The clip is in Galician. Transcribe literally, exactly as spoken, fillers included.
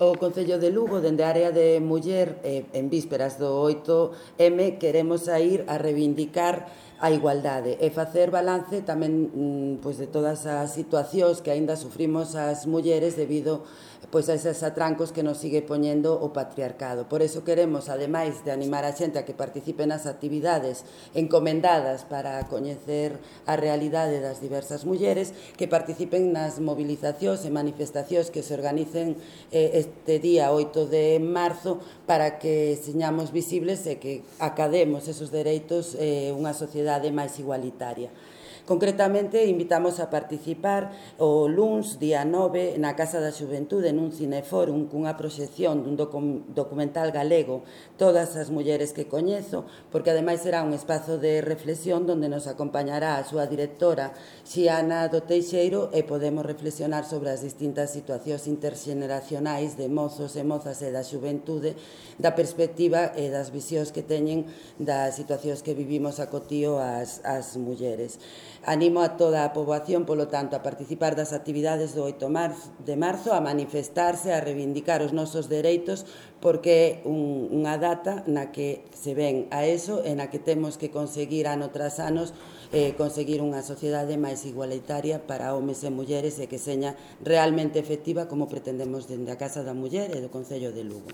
O Concello de Lugo, dende a área de muller, eh, en vísperas do oito eme, queremos saír a reivindicar a igualdade e facer balance tamén mm, pois de todas as situacións que aínda sufrimos as mulleres debido pois a eses atrancos que nos sigue poñendo o patriarcado. Por eso queremos, ademais de animar a xente a que participe nas actividades encomendadas para coñecer a realidade das diversas mulleres, que participen nas movilizacións e manifestacións que se organicen eh, este día oito de marzo para que señamos visibles e que academos esos dereitos eh, unha sociedade máis igualitaria. Concretamente, invitamos a participar o luns, día nove, na Casa da Xuventude, nun cineforum, cunha proxección dun docu documental galego, Todas as mulleres que coñezo, porque ademais será un espazo de reflexión onde nos acompañará a súa directora, Xiana do Teixeiro, e podemos reflexionar sobre as distintas situacións interxeneracionais de mozos e mozas e da xuventude, da perspectiva e das visións que teñen das situacións que vivimos a cotío as, as mulleres. Animo a toda a poboación, polo tanto, a participar das actividades do oito de marzo, a manifestarse, a reivindicar os nosos dereitos, porque é un, unha data na que se ven a eso e na que temos que conseguir ano tras anos eh, conseguir unha sociedade máis igualitaria para homes e mulleres e que seña realmente efectiva como pretendemos dende a Casa da Muller e do Concello de Lugo.